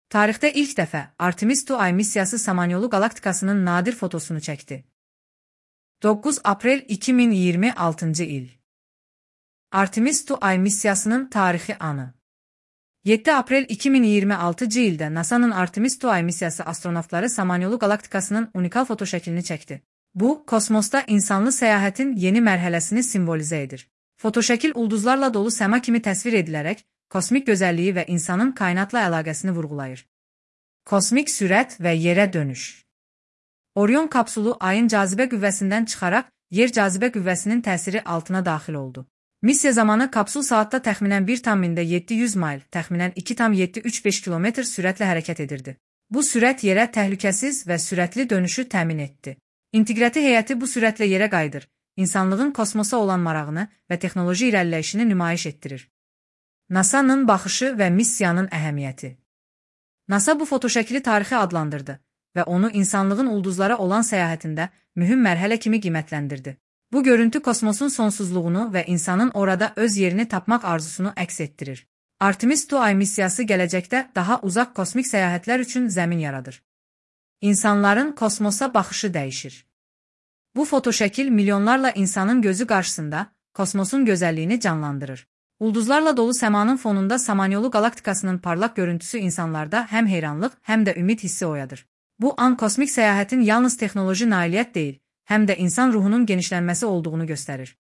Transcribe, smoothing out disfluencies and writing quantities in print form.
Tarixdə ilk dəfə Artemis II ay missiyası Samanyolu qalaktikasının nadir fotosunu çəkdi. 9 aprel 2026-cı il. Artemis II ay missiyasının tarixi anı. 7 aprel 2026-cı ildə NASA'nın Artemis II ay missiyası astronavtları Samanyolu qalaktikasının unikal fotoşəklini çəkdi. Bu, kosmosda insanlı səyahətin yeni mərhələsini simvolizə edir. Fotoşəkil ulduzlarla dolu səma kimi təsvir edilərək, kosmik gözəlliyi və insanın kainatla əlaqəsini vurğulayır. Kosmik sürət və yerə dönüş. Orion kapsulu ayın cazibə qüvvəsindən çıxaraq, yer cazibə qüvvəsinin təsiri altına daxil oldu. Missiya zamanı kapsul saatda təxminən 1,700 mayl, təxminən 2,735 km sürətlə hərəkət edirdi. Bu sürət yerə təhlükəsiz və sürətli dönüşü təmin etdi. İnteqrati heyəti bu sürətlə yerə qayıdır, insanlığın kosmosa olan marağını və texnoloji irəliləyişini nümayiş etdirir. NASA'nın baxışı və missiyanın əhəmiyyəti. NASA bu fotoşəkili tarixi adlandırdı və onu insanlığın ulduzlara olan səyahətində mühüm mərhələ kimi qiymətləndirdi. Bu görüntü kosmosun sonsuzluğunu və insanın orada öz yerini tapmaq arzusunu əks etdirir. Artemis II ay missiyası gələcəkdə daha uzaq kosmik səyahətlər üçün zəmin yaradır. İnsanların kosmosa baxışı dəyişir. Bu fotoşəkil milyonlarla insanın gözü qarşısında kosmosun gözəlliyini canlandırır. Ulduzlarla dolu səmanın fonunda Samanyolu qalaktikasının parlaq görüntüsü insanlarda həm heyranlıq, həm də ümid hissi oyadır. Bu an kosmik səyahətin yalnız texnoloji nailiyyət deyil, həm də insan ruhunun genişlənməsi olduğunu göstərir.